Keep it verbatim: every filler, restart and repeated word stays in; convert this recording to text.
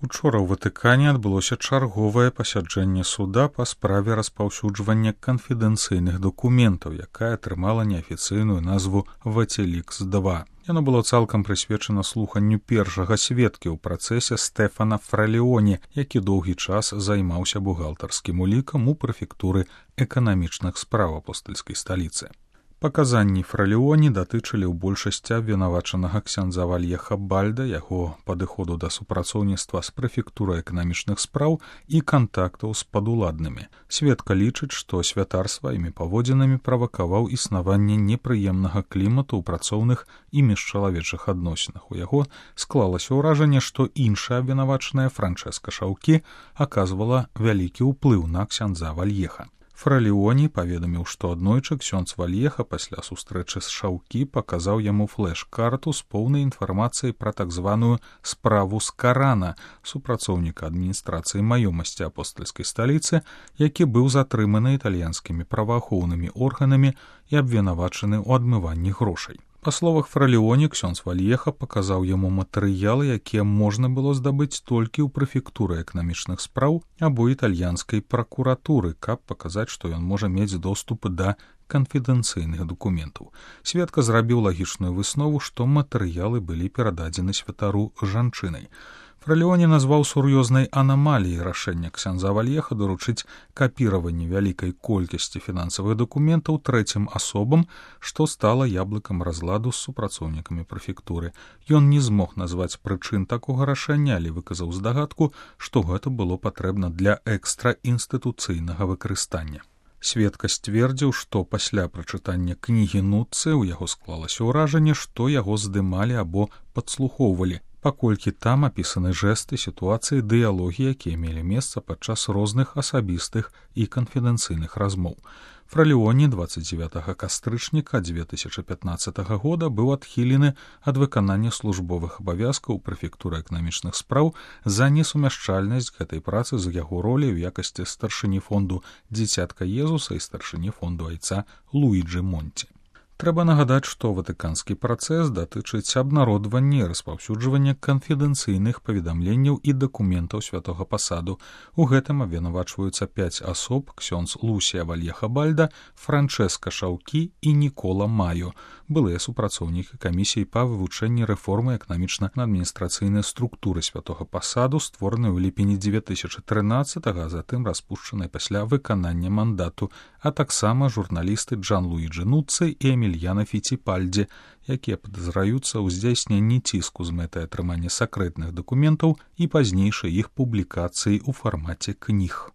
Учора ў Ватыкане адбылося чарговае пасяджэнне суда па справе распаўсюджвання канфідэнцыйных дакументаў, якая атрымала неафіцыйную назву «Ватиликс два». Яно было цалкам прысвечана слуханню першага сведкі ў працэсе Стэфана Фралеоне, які доўгі час займаўся бухгалтарскім улікам у прэфектуры эканамічных спраў апостальскай сталіцы. Паказанні Фралеоне датычылі ў большасці абвінавачанага ксяндза Вальеха Бальда, яго падыходу да супрацоўніцтва з прэфектурай эканамічных спраў і кантактаў з падуладнымі. Сведка лічыць, што святар сваімі паводзінамі правакаваў існаванне непрыемнага клімату ў працоўных і міжчалавечых адносінах. У яго склалася ўражанне, што іншая абвінавачаная Франчэска Шаўкі аказвала вялікі ўплыў на ксяндза Вальеха. Фралеоне паведаміў, што аднойчы ксёндз Вальеха пасля сустрэчы з Шаўкі паказаў яму флэш-карту з поўнай інфармацыяй пра так званую справу з Карана, супрацоўніка адміністрацыі маёмасці апостальскай сталіцы, які быў затрыманы італьянскімі праваахоўнымі органамі і абвінавачаны ў адмыванні грошай. Па словах Фралеоне, ксёндз Вальеха паказаў яму матэрыялы, якія можна было здабыць толькі ў прэфектуры эканамічных спраў або італьянскай пракуратуры, каб паказаць, што ён можа мець доступ да канфідэнцыйных дакументаў. Сведка зрабіў лагічную выснову, што матэрыялы былі перададзены святару жанчынай. Фралеоне назваў сур'ёзнай анамаліяй рашэння ксяндза Вальеха даручыць капіраванне вялікай колькасці фінансавых дакументаў трэцім асобам, што стала яблыкам разладу з супрацоўнікамі прэфектуры. Ён не змог назваць прычын такога рашэння, але выказаў здагадку, што гэта было патрэбна для экстраінстытуцыйнага выкарыстання. Сведка сцвердзіў, што пасля прачытання кнігі Нуццы ў яго склалася ўражанне, што яго здымалі або падслухоўвалі, паколькі там апісаны жэсты, сітуацыі, дыялогі, якія мелі месца падчас розных асабістых і канфідэнцыйных размоў. Фралеоне дваццаць дзевятага кастрычніка дзве тысячы пятнаццатага года быў адхілены ад выканання службовых абавязкаў прэфектуры эканамічных спраў за несумяшчальнасць гэтай працы з яго роляй у якасці старшыні фонду «Дзіцятка Езуса» і старшыні фонду айца Луіджы Монці. Трэба нагадаць, што ватыканскі працэс датычыць абнародвання і распаўсюджвання канфідэнцыйных паведамленняў і дакументаў святога пасаду. У гэтым абвінавачваюцца пяць асоб: ксёндз Лусія Вальеха Бальда, Франчэска Шаўкі і Нікола Маё, былыя супрацоўнікі камісіі па вывучэнні рэформы эканамічна-адміністрацыйнай структуры святога пасаду, створанай у ліпені дзве тысячы трынаццатага, а затым распушчанай пасля выканання мандату, а таксама журналісты Джан Луіджы Нуццы і Эмільяна Фіціпальдзі, якія падазраюцца ў здзяйсненні ціску з мэтай атрымання сакрэтных дакументаў і пазнейшай іх публікацыі ў фармаце кніг.